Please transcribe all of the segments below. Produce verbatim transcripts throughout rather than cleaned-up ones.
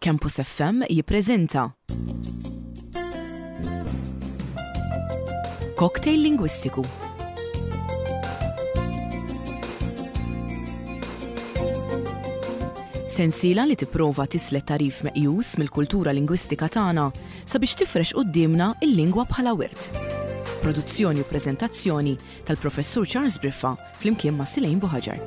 Campus F M jippreżenta Cocktail Lingwistiku. Sensiela li tipprova tislet tagħrif meqjus mill-kultura lingwistika tagħna sabiex tifrex quddiemna il-lingwa bħala wirt. Produzzjoni u preżentazzjoni tal-Professur Charles Briffa flimkien ma' Silejn Buħaġar.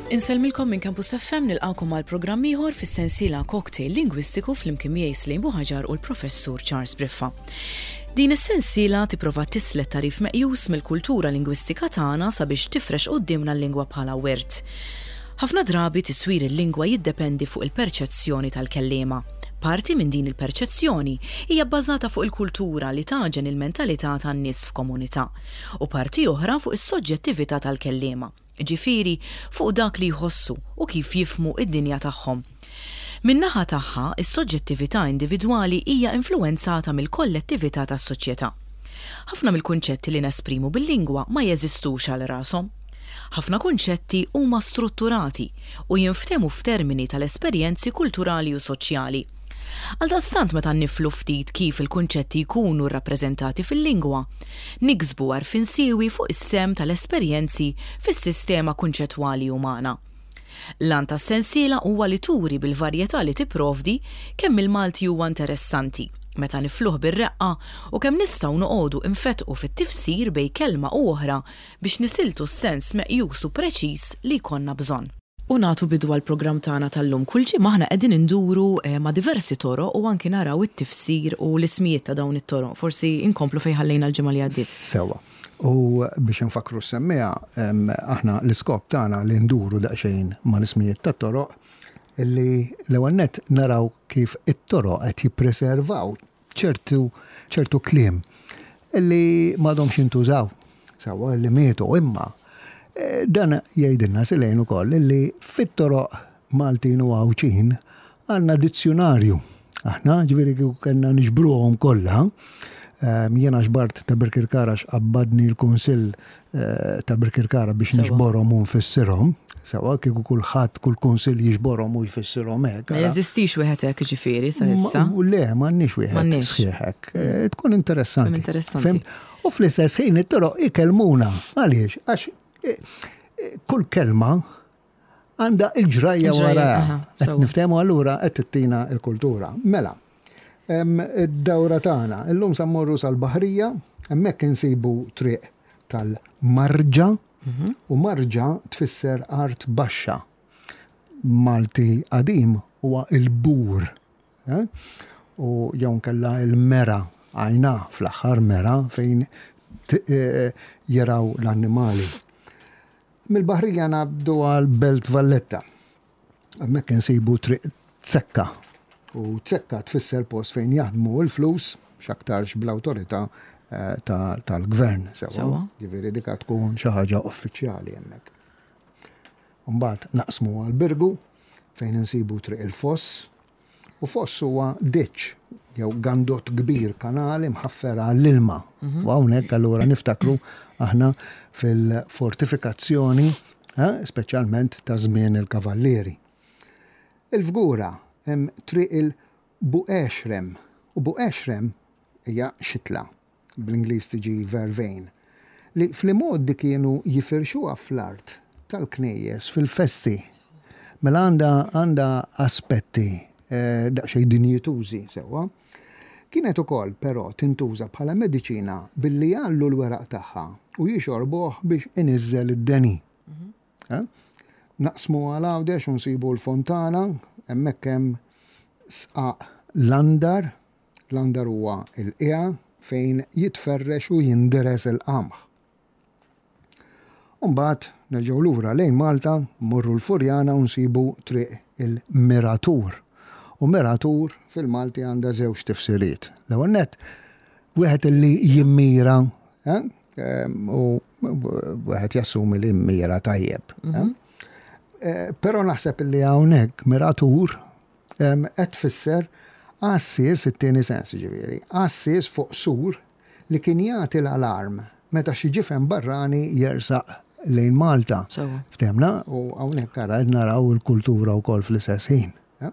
Insellmilkom minn Campus F M, nilqakom għal programm ieħor fis-sensiela Cocktail Lingwistiku flimkien miegħi Slejn Buħaġar u l-Professur Charles Briffa. Din is-sensiela tipprova tislet tagħrif meqjus mill-kultura lingwistika tagħna sabiex tifrex quddiemna l-lingwa bħala wirt. Ħafna drabi tiswir il-lingwa jiddependi fuq il-perċezzjoni tal-kelliema. Parti minn din il-perċezzjoni hija bbażata fuq il-kultura li tagħġen il-mentalità tan-nies f'komunità u parti oħra fuq is-soġġettività tal-kelliema, ġifieri fuq dak li jħossu u kif jifhmu id-dinja tagħhom. Min-naħa tagħha, is-soġġettività individwali hija influwenzata mill-kollettività tas-soċjetà. Ħafna mill-kunċetti li nesprimu bil-lingwa ma jeżistux għal rashom. Ħafna kunċetti huma strutturati u jinftehmu f'termini tal-esperjenzi kulturali u soċjali. Għaldaqstant, meta niflu ftit kif il-kunċetti jkunu rrappreżentati fil-lingwa, niksbu għarfien siewi fuq is-sehem tal-esperjenzi fis-sistema kunċettwali umana. L-għan tas-sensiela huwa li turi bil-varjetà li tipprovdi kemm il-Malti huwa interessanti meta nifluh bir-reqqa u kemm nistgħu noqogħdu infetqu fit-tifsir bejn kelma u oħra biex nisiltu s-sens meqjus u preċiż li jkollna bżonn. U nagħtu bidu għall-programm tagħna tal-lum. Kull ġimgħa aħna qegħdin induru eh, ma' diversi toroq u anki naraw it-tifsir u l-ismijiet ta' dawn it-toroq. Forsi inkomplu fejn ħallejna l-ġimgħa li għaddiet. Sewa. U biex nfakru s-semmiegħa, aħna l-iskop tagħna li nduru daqsxejn ma' l-ismijiet tat-toroq, illi l-ewwel nett naraw kif it-toroq qed jippreservaw ċertu ċertu kliem illi m'għadhomx jintużaw, sewa, illi mietu, imma eh, dan jgħidilna Silejn ukoll illi fit-toroq Maltin u Għawdxin għandna dizzjonarju. Aħna ġifieri kieku kellna niġbruhom kollha, ehm, jiena ġbart ta' Birkirkara, qabbadni l-Kunsill eh, ta' Birkirkara biex Sewa. niġborhom u nfissirhom. Sewa, kieku kulħadd, kull kunsill jiġborhom u jfissirhom hekk. Ma ara. jeżistix wieħed hekk ġifieri sa issa. Ma- Le, m'għandniex wieħed M'għandniex. sħiħ hekk. Eh, Tkun interessanti. Tkun interessanti. Fhimt? U fl-istess ħin it-toroq ikellmuna. Għaliex? Għax eh, eh, kull kelma għandha il-ġrajja Il-ġrajja, wara. aha, Qed sewa. niftehmu, allura qed tittina il-kultura. Mela, em, id-dawra tagħna, illum sa mmorru sal-Baħrija, hemmhekk insibu triq tal-Marġa, Mhm. u marġa tfisser art baxxa. Malti qadim huwa il-bur. Eh? U jew kella il-mera, għajna fl-aħħar mera fejn t- eh, jaraw l-annimali. Mill-Baħrija ngħaddu għal Belt Valletta. Hemmhekk insibu triq Zekka. U Zekka tfisser post fejn jaħdmu l-flus, x'aktarx bl-awtorità eh, ta- tal-gvern. Sewa. Sewa. Ġifieri dika tkun xi ħaġa uffiċjali hemmhekk. Mbagħad naqsmu għal Birgu fejn insibu triq il-Foss. U foss huwa ditch jew gandot kbir, kanali mħaffer għall-ilma. U hawnhekk allura niftakru aħna fil-fortifikazzjoni, eh, speċjalment ta' żmien il-Kavallieri. Il-Fgura hemm triq il-Buqexrem. U Buqexrem hija xitla, bl-Ingliż tiġi vervain, li fl-modi kienu jifirxuha fl-art tal-knejjes fil-festi. Mela għandha għandha aspetti eh, daqsxejn dinjitużi sewwa. Kienet ukoll però tintuża bħala mediċina billi jgħallu l-weraq tagħha u jixorbuh biex iniżżel id-deni. Eh? Naqsmu għal Għawdex u nsibu l-Fontana, hemmhekk hemm sqaq l-andar, l-andar huwa il-qiegħa fejn jitferrex u jinderes il-qamħ. Umbagħad nerġgħu lura lejn Malta, mmorru l-Furjana u nsibu triq il-Miratur. U Miratur fil-Malti għandha żewġ tifsiriet. L-ewwel nett, wieħed illi jimmira, eh? Em, u wieħed jassumi li jimmira tajjeb. Eh? Eh, Però naħseb illi hawnhekk miratur em, qed tfisser għassies, it-tieni sens ġifieri, għassies fuq sur li kien jagħti l-alarm meta xi ġifen barrani jersaq lejn Malta. Sewwa. Ftemna, u hawnhekk ara qed naraw il-kultura wkoll fl-istess ħin. Ja?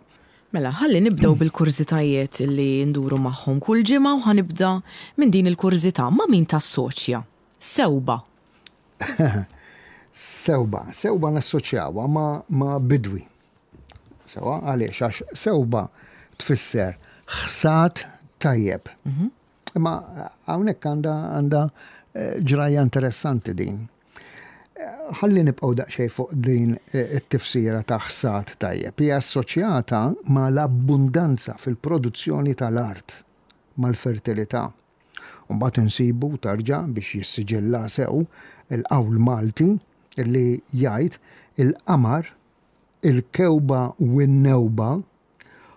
Mela, ħalli nibdew bil-kurżitajiet li nduru magħhom kull ġimgħa u ħa nibda minn din il-kurżità. Ma' min tassoċja? Sewba. Sewba, sewba nassoċjawha ma, ma bidwi. Sewwa, għaliex, għax sewba tfisser ħsad tajjeb. Imma hawnhekk għandha għandha eh, ġrajja interessanti din. Eh, Ħalli nibqgħu daqsxejn fuq din eh, it-tifsira ta' ħsad tajjeb. Hija assoċjata ma' l-abbundanza fil-produzzjoni tal-art, mal-fertilità. Mbagħad insibu tarġa biex jissiġilla sew il-qawl Malti li jgħid il-qamar, il-kewba u n-newba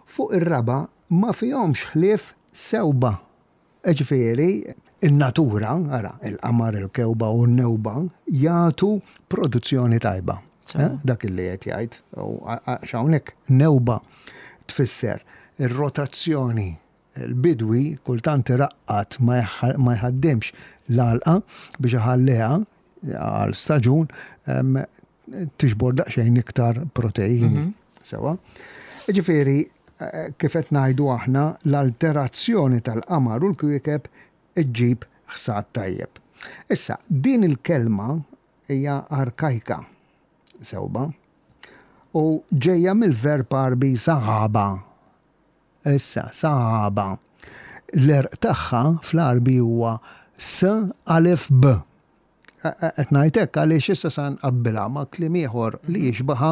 fuq ir-raba ma fihomx ħlief sewba. Ġifieri, il-natura, ara, il-qamar, il-kewba u n-newba jagħtu produzzjoni tajba. Eh, Dak li qed jgħid. U għax hawnhekk newba tfisser ir-rotazzjoni. Il-bidwi kultant iraqqad ma jħ- ma jħaddimx l-għalqa biex iħalliha għal staġun em, tiġbor daqsxejn iktar proteini. Sewwa. Ġifieri, eh, kif qed ngħidu aħna, l-alterazzjoni tal-qamar u l-kwiekeb iġġib ħsad tajjeb. Issa, din il-kelma hija arkajka, sewba, u ġejja mill-verb Għarbi saħaba. Issa, saħaba. L-għerq tagħha fl-Għarbi huwa S alif B. Qed ngħid hekk għaliex issa sa nqabbilha ma' kliem ieħor li jixbaha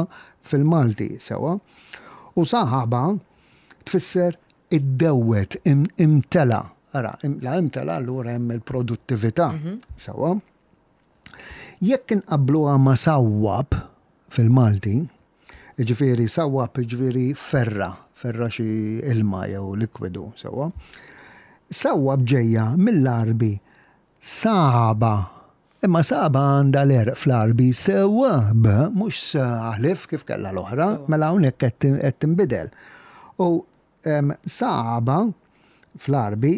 fil-Malti sewwa. U saħaba tfisser iddewwet, im- imtela. Ara, im- la imtela allura hemm il-produttività sewwa. Jekk inqabbluha ma' sawwab fil-Malti, ġifieri sawwab ġifieri ferra, ferra xi ilma jew likwidu sewwa. Sawwab ġejja mill-Għarbi saba. Imma saba għandha l-għerq fl-Għarbi sewwa b, mhux s alif kif kellha l-oħra, mela hawnhekk qed tin- qed tinbidel. U em, saba fl-Għarbi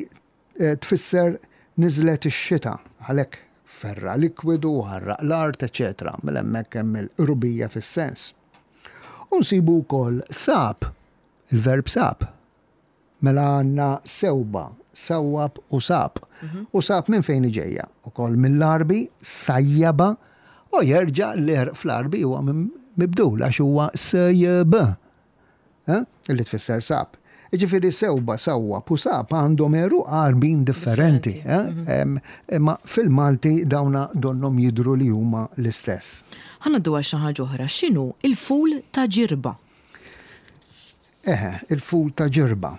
eh, tfisser niżlet ix-xita, għalhekk ferra likwidu, ħarraq l-art, eċetera. Mela hemmhekk hemm il-qrubija fis-sens. U nsibu wkoll sab, il-verb sab. Mela għandna sewba, sawwab u sab. U sab minn fejn ġejja? Ukoll mill-Għarbi sajjaba u jerġa' l-għerq fl-Għarbi huwa minn- mibdul għax huwa S J B. Eh? Illi tfisser sab. Ġifieri sewba, sawwab u sab għandhom għeruq Għarbin differenti. eh? Em, Imma fil-Malti dawna donnom jidru li huma l-istess. Ħa ngħaddu għal xi ħaġa oħra. X'inhu il-ful ta' Ġirba? Eħe, il-ful ta' Ġirba.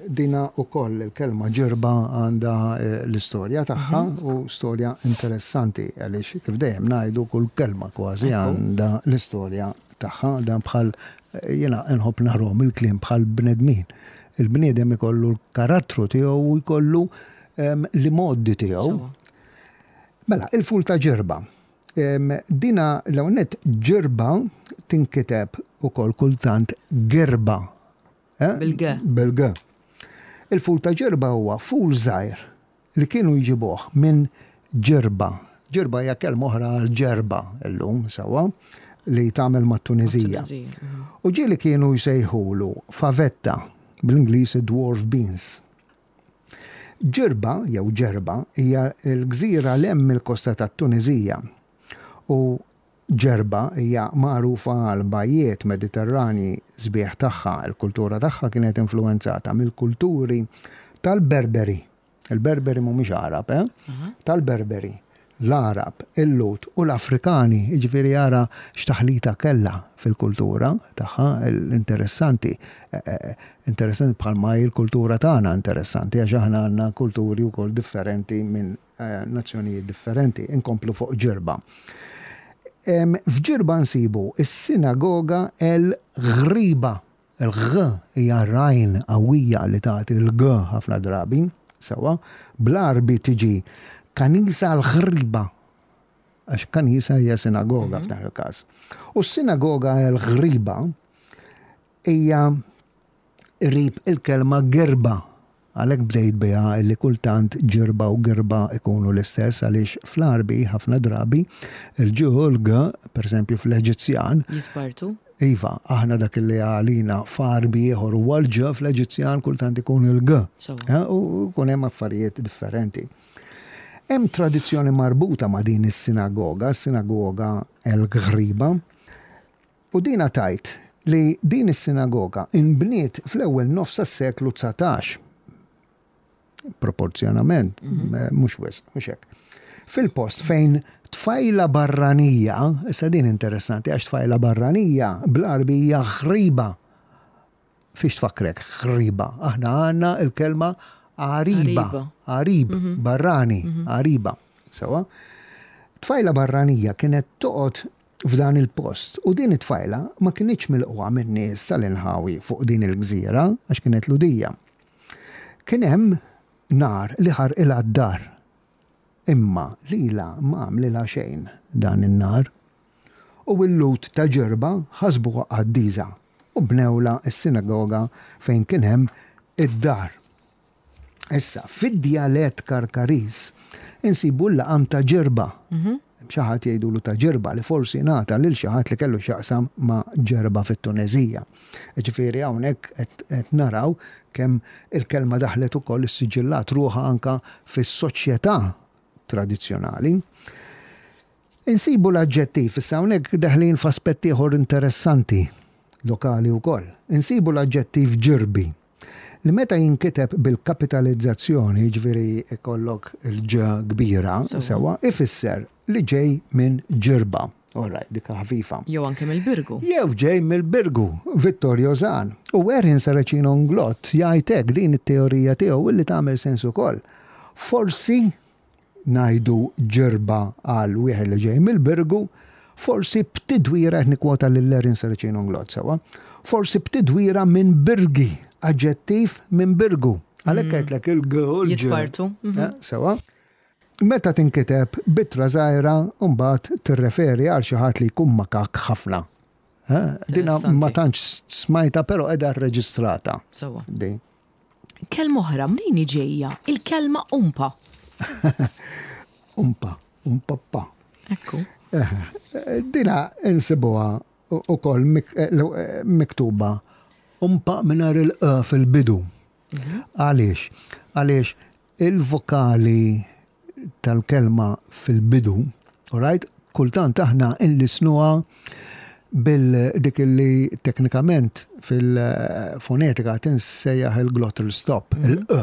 Dina ukoll il-kelma ġirba għandha eh, l-istorja tagħha u storja interessanti għaliex kif dejjem ngħidu kull kelma kważi għandha l-istorja tagħha, dan bħal eh, jiena nħobb narahom il-kliem bħal bnedmin. Il-bniedem ikollu l-karattru tiegħu u jkollu em, l-modi tiegħu. Sewwa. Mela, il-ful ta' Ġirba. Em, Dina l-għonet Ġirba tinkiteb ukoll kultant Gerba. Eh? Bil-G. Bil-G. Il-ful ta' Ġirba huwa ful żgħir li kienu jġibuh minn Ġirba. Ġirba hija kelma oħra għal Ġerba illum sewwa li tagħmel mat-Tunizija. Tunizija, mhm. U ġieli kienu jsejħulu favetta, bl-Ingliż dwarf beans. Ġirba jew Ġerba hija l-gżira 'l hemm il-kosta tat-Tunizija. U Ġerba hija magħrufa għal bajjiet Mediterrani sbieħ tagħha. Il-kultura tagħha kienet influenzata mill-kulturi tal-Berberi. Il-Berberi mhumiex Għarab, eh? Tal-Berberi, l-Għarab, il-Lhud u l-Afrikani, jiġifieri ara x'taħlita kellha fil-kultura tagħha, l-interessanti. Eh, eh, Interessanti bħalma hi l-kultura tagħna interessanti għax aħna għandna kulturi wkoll differenti minn eh, nazzjonijiet differenti. Inkomplu fuq Ġirba. Em, F'Ġirba nsibu is-sinagoga El Ghriba. Il-G hija għajn qawwija li tagħti il-G ħafna drabi, sewwa, bl-Għarbi tiġi Kanisa l-Ghriba. Għax kanisa hija sinagoga f'dan il-każ. U s-sinagoga El Ghriba hija qrib il-kelma gerba. Għalhekk bdejt biha li kultant Ġirba u Girba ikunu l-istess, għaliex fl-Għarbi ħafna drabi il-Ġ u l-G, per eżempju fl-Eġizzjan. Jispartu. Iva, aħna dak li għalina f'Għarbi ieħor huwa l-Ġ, fl-Eġizzjan kultant ikun il-G. U kun hemm affarijiet differenti. Hemm tradizzjoni marbuta ma' din is-sinagoga, sinagoga El Ghriba, u dina tajt li din is-sinagoga inbniet fl-ewwel nofs tas-seklu dsatax. Proporzjonament, mhux wisq, mhux hekk. Fil-post fejn tfajla barranija, issa din interessanti għax tfajla barranija bl-Għarbi hija ghriba. Fiex tfakkrek ghriba? Aħna għandna il-kelma għariba, għarib, barrani, għariba. Sewa? Tfajla barranija kienet toqgħod f'dan il-post u din it-tfajla ma kinitx milquha min-nies tal-inħawi fuq din il-gżira għax kienet Lhudija. Kien hemm nar li ħarqilha d-dar. Imma lila ma għamlilha xejn dan in-nar. U l-Lhud ta' Ġerba ħasbuha qaddisa u bnewla s-sinagoga fejn kien hemm id-dar. Issa, fid-djalett Karkariż insibu l-laqam ta' Ġerba. Xi ħadd jgħidulu ta' Ġerba li forsi ngħata lil xi ħadd li kellu x'jaqsam ma' Ġerba fit-Tunezija. Ġifieri hawnhekk qed naraw kemm il-kelma daħlet ukoll issiġillat ruħha anka fis-soċjetà tradizzjonali. Insibu l-aġġettiv, issa hawnhekk daħlin f'aspett ieħor interessanti lokali wkoll. Insibu l-aġġettiv ġirbi li meta jinkiteb bil-kapitalizzazzjoni, ġifieri ikollok il-ġ kbira, sewa, ifisser li ġej minn Ġirba. All right, dik ħafifa. Jew anke mill-Birgu. Jew ġej mill-Birgu, Vittorio Zahn. U Erin Saracino Inglott jgħid hekk din it-teorija tiegħu li tagħmel sens ukoll. Forsi ngħidu Ġirba għal wieħed li ġej mill-Birgu, forsi b'tidwira, qed nikkwota lil Erin Saracino Inglott sewa, forsi b'tidwira minn Birgi, aġġettiv minn Birgu. Għalhekk għedtlek il-G u l-Ġ. Jitpartu. Sewa. Meta tinkiteb b'ittra żgħira, mbagħad tirreferi għal xi ħadd li jkun makak ħafna. Dina ma tantx smajta, però qiegħda rreġistrata. Sewa. Din. Kelma oħra, mnejn ġejja? Il-kelma umpa. Umpa, umpappa. Ekku. Dina insibuha ukoll miktuba umpa mingħajr il-q fil-bidu. Għaliex? Għaliex il-vokali tal-kelma fil-bidu, all right, kultant aħna inlisnuha bil-dik li teknikament fil-fonetika tinsejjaħ il-glottal stop, il-q,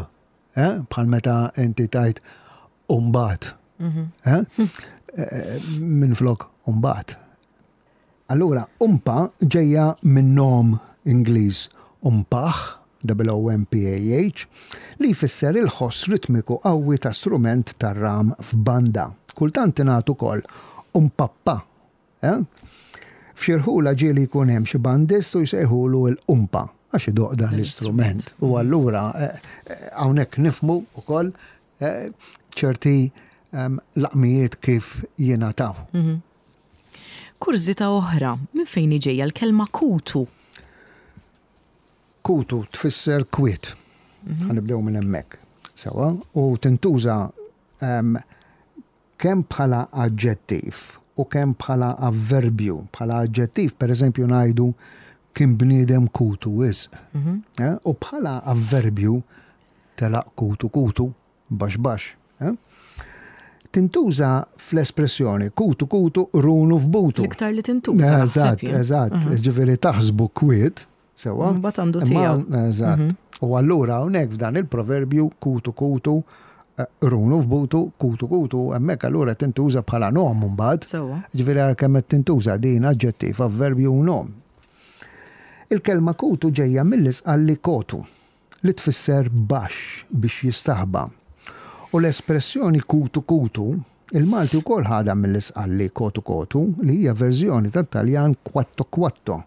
bħal meta inti tajt umbat, minn flok umbat. Allura, umpa ġejja minn nom Ingliż umpah, W O M P A H, li jfisser il-ħoss ritmiku qawwi ta' strument tar-ram f'banda. Kultant tingħad ukoll umpappa. Eh? F'xi rħula ġieli jkun hemm xi bandist u jsejħulu l-umpa għax idoq dan l-istrument. U allura hawnhekk nifhmu ukoll ċerti laqmijiet kif jingħataw. Kurżità oħra, minn fejn ġejja l-kelma kutu? Kutu tfisser kwiet. Ħanibdew minn hemmhekk. Sewa, u tintuża kemm bħala aġġettiv u kemm bħala avverbju. Bħala aġġettiv, per eżempju, ngħidu kien bniedem kutu wisq. U bħala avverbju telaq kutu kutu, baxx baxx. Tintuża fl-espressjoni kutu kutu runu f'butu. L-iktar li tintuża, naħseb Eżatt, jien. eżatt. Ġifieri taħsbu kwiet, sewa. Mbagħad għandu Imma tiegħu. Eżatt. U allura hawnhekk f'dan il-proverbju kutu kutu, runu f'butu, kutu kutu, hemmhekk allura tintuża bħala nom mbagħad. Sewa. Ġifieri ara kemm qed tintuża din aġġettiv, avverbju u nom. Il-kelma kutu ġejja mill-isqalli kotu, li tfisser baxx biex jistaħba. U l-espressjoni kutu kutu, il-Malti wkoll ħadha mill-isqalli kotu kotu, li hija verżjoni tat-Taljan quatto quatto,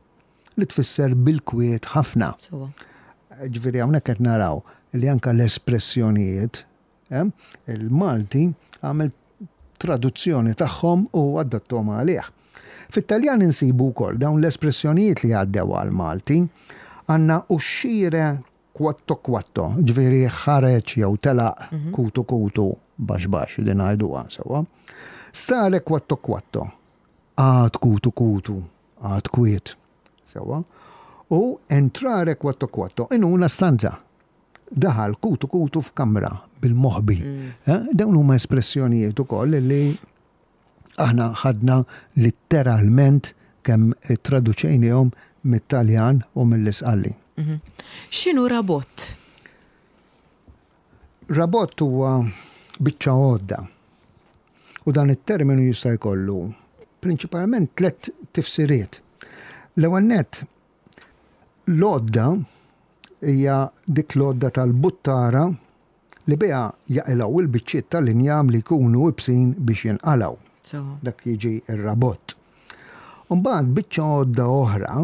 li tfisser bil-kwiet ħafna. Sewa. Ġifieri hawnhekk qed naraw li anke l-espressjonijiet, eh, il-Malti għamel traduzzjoni tagħhom u adattom għalih. Fit-Taljan insibu wkoll dawn l-espressjonijiet li għaddew għal-Malti, għandna uscire Quatto quatto, ġifieri ħareġ jew telaq kutu kutu baxx baxx, din ngħiduha sewwa. Stare quatto quatto, qagħad kutu kutu, qagħad kwiet, sewwa. U entrare quatto quatto, in una stanza. Daħal kutu kutu f'kamra bil-moħbi. Eh, Dawn huma espressjonijiet ukoll li aħna ħadna letteralment kemm traduċejnihom mit-Taljan u mill-Isqalli. X'inhu rabott? Rabott huwa biċċa għodda. U dan it-terminu jista' jkollu prinċipalment tliet tifsiriet. L-ewwel nett, l-għodda hija dik l-għodda tal-buttara li biha jaqilgħu il-biċċiet tal-injam li jkunu ibsin biex jinqalgħu. Sewwa. Dak jiġi ir-rabott. Mbagħad biċċa għodda oħra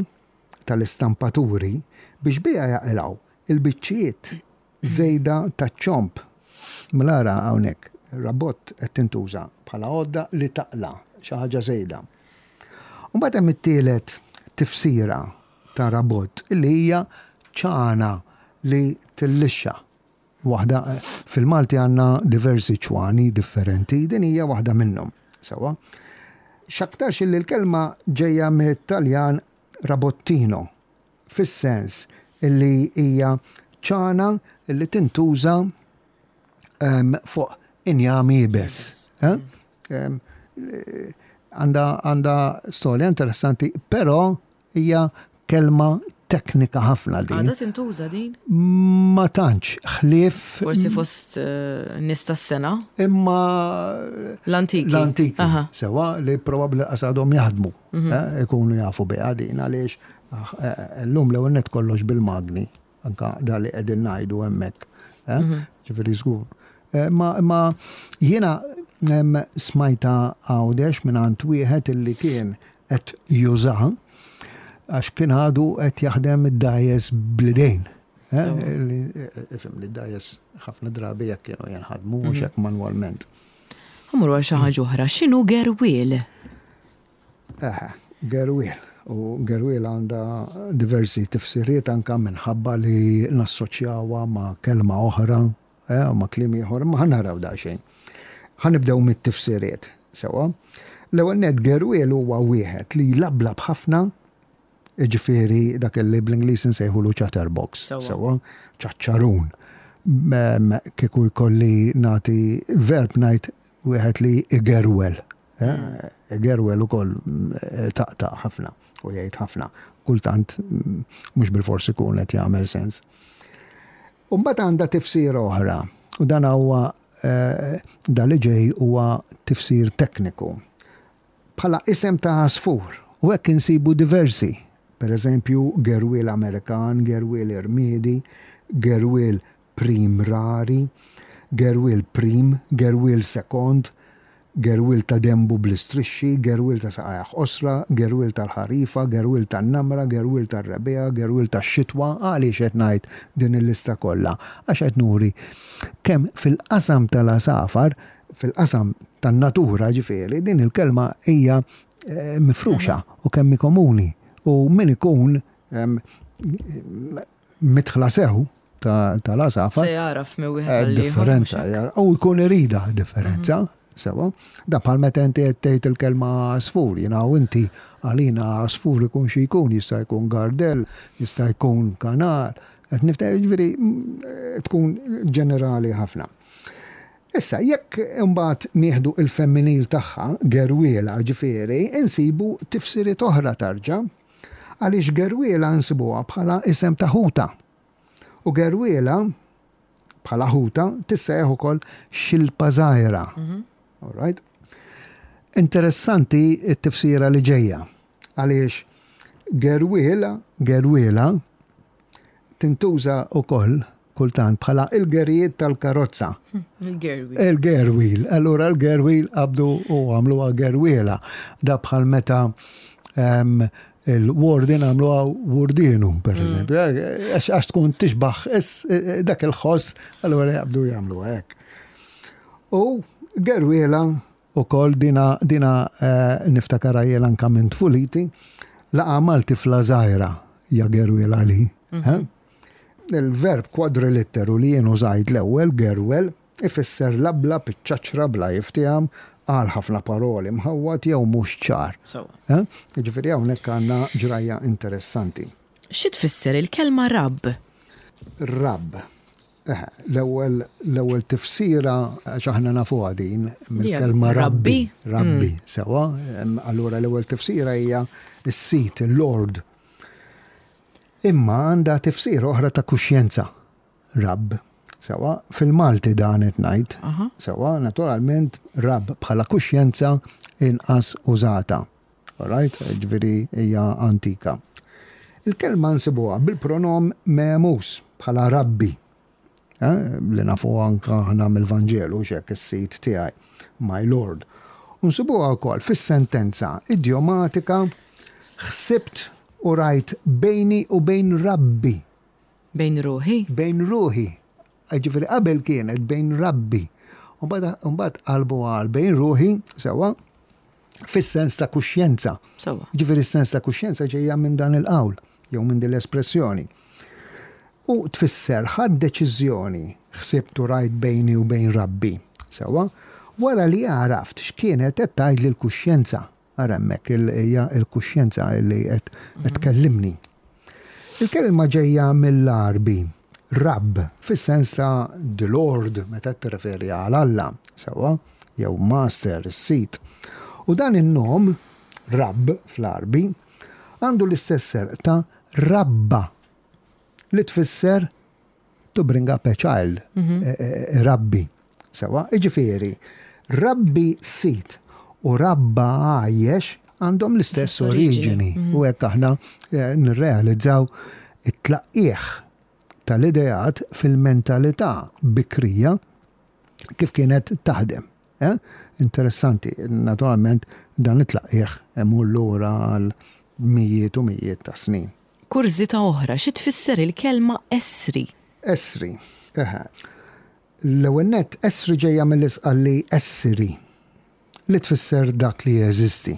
tal-istampaturi biex biha jaqilgħu il-biċċiet żejda taċ-ċomb. Mela ara hawnhekk, rabott qed tintuża bħala għodda li taqla xi ħaġa żejda. Mbagħad hemm it-tielet tifsira ta' rabott illi hija ċana li tillixxa. Waħda fil-Malti għandna diversi ċwani differenti, din hija waħda minnhom. Sewwa. X'aktarx li l-kelma ġejja mit-Taljan rabottino, fis-sens illi hija ċana li tintuża em, fuq injam iebes. Eh? Em, Għanda għanda storja interessanti, però hija kelma teknika ħafna din. Għadha tintuża din? Ma tantx, ħlief Forsi fost eh, nies tas-sena? Imma L-antiki. L-antiki, Aha. sewwa, li probabbli għadhom jaħdmu, eh, ikunu jafu biha din għaliex ah, eh, llum l-ewwel nett kollox bil-magni, anka da li qegħdin ngħidu hemmhekk. eh, Ġifieri żgur. Eh, Ma, ma jiena em, smajta Għawdex minn għand wieħed illi kien qed jużaha għax kien għadu qed jaħdem id-dgħajjes bl-idejn. Eh, li- eh, Ifhem li d-dgħajjes ħafna drabi jekk kienu jinħadmu mhux hekk manwalment. Ħa mmorru għal xi ħaġa oħra. X'inhu gerwiel? Eħe, gerwiel. U gerwiel għandha diversi tifsiriet anka minħabba li nassoċjawha ma' kelma oħra, eh, u ma' kliem ieħor, ma ħa naraw daqsxejn. Ħa nibdew mit-tifsiriet, sewwa. L-ewwel nett, gerwiel huwa wieħed li jlablab ħafna, ġifieri dak li bl-Ingliż insejħulu chatterbox, Sewwa. sewwa, ċaċċarun. Mem, Kieku jkolli nagħti verb ngħid wieħed li igerwel. Eh, Igerwel ukoll mm, taqtaq ħafna u jgħid ħafna. Kultant mm, mhux bil-forsi ikun qed jagħmel sens. U mbagħad għandha tifsir oħra u dan huwa eh, da li ġej huwa tifsir tekniku. Bħala isem ta' għasfur u hekk insibu diversi. Per eżempju, gerwiel Amerikan, gerwiel irmiedi, gerwiel prim rari, gerwiel prim, gerwiel sekond, gerwiel ta' dembu bl-istrixxi, gerwiel ta' saqajh qosra, gerwiel tal-ħarifa, gerwiel tan-namra, gerwiel tar-rebbiegħa, gerwiel tax-xitwa. Għaliex qed ngħid din il-lista kollha? Għax qed nuri kemm fil-qasam tal-għasafar, fil-qasam tan-natura ġifieri, din il-kelma hija eh, mifruxa u kemm hi komuni. U min ikun em, midħla sew ta- tal-għasafar Se jaraf minn wieħed Eh, għal ieħor, differenza, mhux hekk? jar- u jkun irida differenza, sewwa. Da bħal meta inti qed tgħid il-kelma għasfur, jiena u inti għalina għasfur ikun xi jkun, jista' jkun gardell, jista' jkun kanar, qed nifta ġifieri mm, eh, tkun ġenerali ħafna. Issa, jekk imbagħad nieħdu il-femminil tagħha, gerwiela ġifieri, insibu tifsiriet oħra tarġa, għaliex gerwiela nsibuha bħala isem ta' ħuta. U gerwiela bħala ħuta tissejjaħ ukoll xilpa żgħira. All right? Interessanti t-tifsira li ġejja. Għaliex gerwiela, gerwiela tintuża ukoll kultant bħala il-gerijiet tal-karozza. Il-gerwiel. Il-gerwiel. Allura il-gerwiel qabdu u għamluha gerwiela. Da bħal meta em, il-warden għamluha wardinu, per eżempju. Għax għax tkun tixbaħ is- dak il-ħoss, allura jaqbdu jagħmluha hekk. U gerwiela u kol dina, dina eh, niftakara jien anka minn tfuliti, laqa mal tifla żgħira ja gerwiela li. eh? Il-verb kwadrilitteru li jien użajt l-ewwel, gerwel, ifisser labla piċċaċra bla jiftieham, għal ħafna paroli mħawwad jew mhux ċar. Sewwa. Ġifieri hawnhekk għandna ġrajja interessanti. Xi tfisser il-kelma rabb? Rabb. Eħe, L-ewwel l-ewwel tifsira, għax aħna nafuha din mill-kelma rabbi. Rabbi. Rabbi, sewwa. Em, Allura l-ewwel tifsira hija s-sit, il-Lord. Imma għandha tifsira oħra ta' kuxjenza. Rabb. Sewwa, fil-Malti dan qed ngħid. Aha. Sewwa, naturalment rabb bħala kuxjenza inqas użata. Alright, ġifieri hija antika. Il-kelma nsibuha bil-pronom memus bħala rabbi. Eh, li nafu anka aħna mill-Vanġelu xek is-sit tiegħi, my Lord. U nsibuha wkoll fis-sentenza idjomatika "ħsibt u rajt bejni u bejn rabbi". Bejn ruħi? Bejn ruħi. Ġifieri qabel kienet bejn rabbi. U mbagħad qalbu għal bejn ruħi, sewwa, fis-sens ta' kuxjenza. Sewwa. Ġifieri s-sens ta' kuxjenza ġejja minn dan il-qawl, jew minn din l-espressjoni. U tfisser ħadt deċiżjoni, ħsibt u rajt bejni u bejn rabbi. Sewwa, wara li għaraft x'kienet qed tgħid l-kuxjenza. Ara hemmhekk hija l-kuxjenza li qed tkellimni. Il-kelma ġejja mill-Arbi, rabb, fis-sens ta' the Lord, meta tirreferi għal Alla, sewwa, jew master, is-sit. U dan in-nom, rabb fl-Arbi, għandu l-istess ser ta' rabba, li tfisser to bring up a child, eh, eh, rabbi. Sewwa, iġifieri, rabbi sit u rabba għajjex għandhom l-istess oriġini. Oriġini. U hekk aħna eh, nirrealizzaw it-tlaqqieħ tal-ideat fil-mentalità bikrija kif kienet taħdem. Eh? Interessanti, naturalment dan it-tlaqqieħ imur lura għal mijiet u mijiet ta' snin. Kurżità oħra, xi tfisser il-kelma esri? Esri. Eħe. L-ewwel nett, esri ġejja mill-Isqalli essiri, li tfisser dak li jeżisti.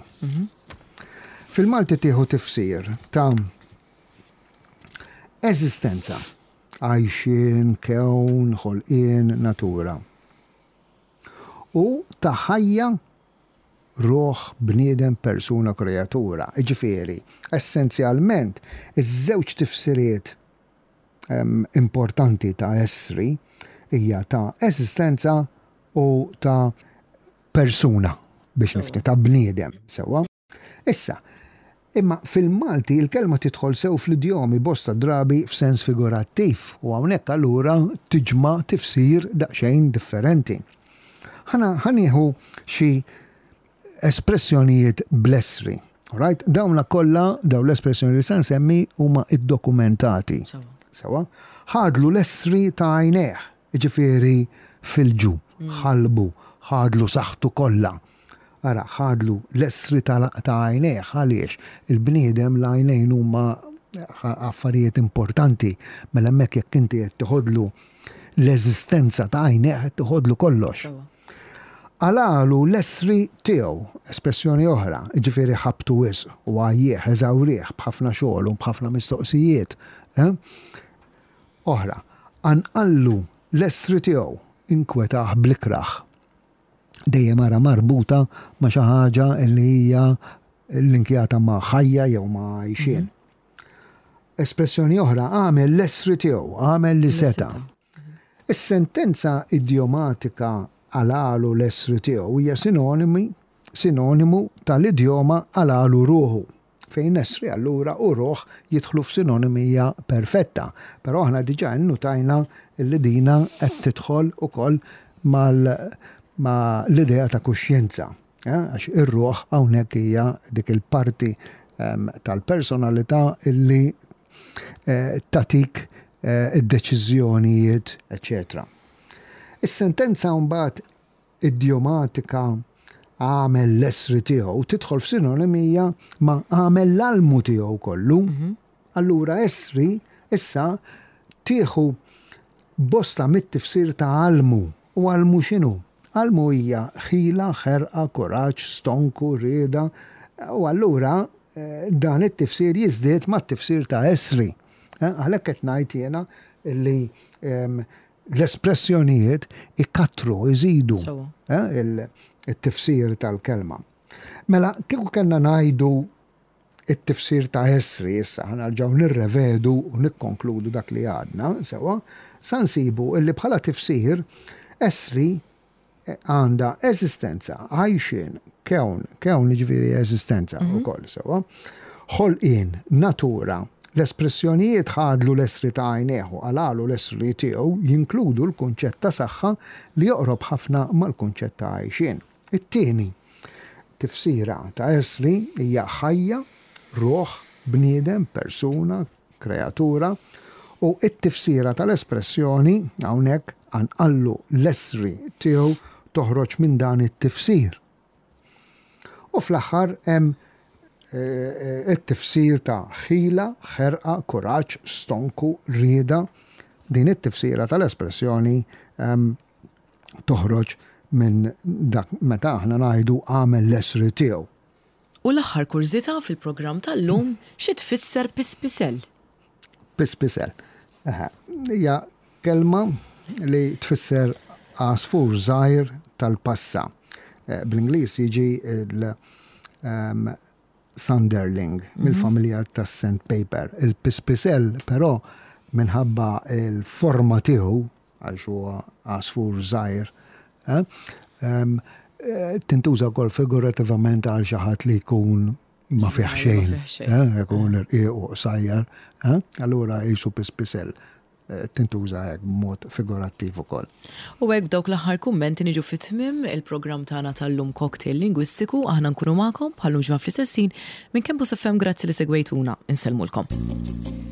Fil-Malti tieħu tifsir ta' eżistenza, għajxien, kewn, ħolqien, natura. U ta' ħajja, ruħ, bniedem, persuna, kreatura. Ġifieri, essenzjalment, iż-żewġ tifsiriet em, importanti ta' esri hija ta' eżistenza u ta' persuna, biex nifti, ta' bniedem, sewwa. Issa, imma fil-Malti il-kelma tidħol sew fl-idjomi bosta drabi f'sens figurattiv u hawnhekk allura tiġma tifsir daqsxejn differenti. Ħana ħa nieħu xi espressjonijiet bl-esri. Right? Dawna kollha, daw l-espressjoni li se nsemmi huma iddokumentati. Sewwa. Sewwa? Ħadlu l-esri ta' għajnejh, ġifieri fil-ġu, ħalbu, ħadlu saħħtu kollha. Ara, ħadlu l-esri ta' ta' għajnejh, għaliex il-bniedem l-għajnejn huma affarijiet importanti, mela hemmhekk jekk inti qed tiħodlu l-eżistenza ta' għajnejh, qed tiħodlu kollox. Sewwa. Għalalu l-esri tiegħu, espressjoni oħra, ġifieri ħabtu wisq u għajjieħ, eżawrieħ b'ħafna xogħol u b'ħafna mistoqsijiet. Eh? Oħra, anqallu l-esri tiegħu, inkwetaħ blikraħ. Dejjem ara marbuta ma' xi ħaġa li hija linkjata ma' ħajja jew ma' għajxien. Espressjoni oħra, għamel l-esri tiegħu, għamel li seta'. Is-sentenza idjomatika "għalalu l-esri tiegħu" hija sinonimi sinonimu tal-idjoma "għalalu ruħu", fejn esri allura u ruħ jidħlu f'sinonimija perfetta. Però aħna diġà innutajna li dina qed tidħol ukoll mal ma l-idea ta' kuxjenza. eh? Għax ir-ruħ hawnhekk hija dik il-parti em, tal-personalità illi eh, tatik eh, id-deċiżjonijiet, eċċetera. Is-sentenza mbagħad idjomatika "għamel l-esri tiegħu" tidħol f'sinonimija ma' "għamel l-almu tiegħu kollu". Allura esri issa tieħu bosta mit-tifsir ta' almu. U almu x'inhu? Almu hija ħila, ħerqa, kuraġġ, stonku, rieda. U allura eh, dan it-tifsir jiżdied mat-tifsir ta' esri. Eh, Għalhekk qed ngħid jiena Li l-espressjonijiet ikattru, iżidu eh, il-tifsir tal-kelma. Mela, kieku kellna ngħidu it-tifsir ta' essri issa, ħa nerġgħu nirrevedu u nikkonkludu dak li għadna, sewa, sa nsibu illi bħala tifsir essri għandha eżistenza, għajxien, kewn, kewn ġifieri eżistenza mm -hmm. ukoll, sewa, ħolqien, natura, l-espressjonijiet "ħadlu l-essri ta' għajnejh", "qalagħlu l-essri tiegħu" jinkludu l-kunċett ta' saħħa li joqrob ħafna mal-kunċett ta' għajxien. It-tieni tifsira ta' essri hija ħajja, ruħ, bniedem, persuna, kreatura, u it-tifsira tal-espressjoni hawnhekk "qanqallu l-essri tiegħu" toħroġ minn dan it-tifsir. U fl-aħħar hemm eh, eh, it-tifsir ta' ħila, ħerqa, kuraġġ, stonku, rieda. Din it-tifsira tal-espressjoni ehm, toħroġ minn dak meta aħna ngħidu "għamel l-essri tiegħu". U l-aħħar kurżità fil-programm tal-lum, xi tfisser pispisel? Pispisel. Hija kelma li tfisser għasfur żgħir tal-passa. Eh, bl-Ingliż jiġi il- um, sanderling mill-familja tas sandpiper. Il-pispisel però, minħabba il-forma tiegħu, għax huwa għasfur żgħir, eh, em, eh, tintuża wkoll figurativament għal xi ħadd li jkun ma fih xejn, eh, jkun irqiq u qsajjar, eh, allura jisu pispisel tintuża hekk b'mod figurattiv ukoll. U hekk, b'dawk l-aħħar kummenti, niġu fi tmiem il-programm tagħna tal-lum, Cocktail Lingwistiku. Aħna nkunu magħkom bħal ġimgħa fl-istess ħin minn Campus F M. Grazzi li segwejtuna. Insellmulkom.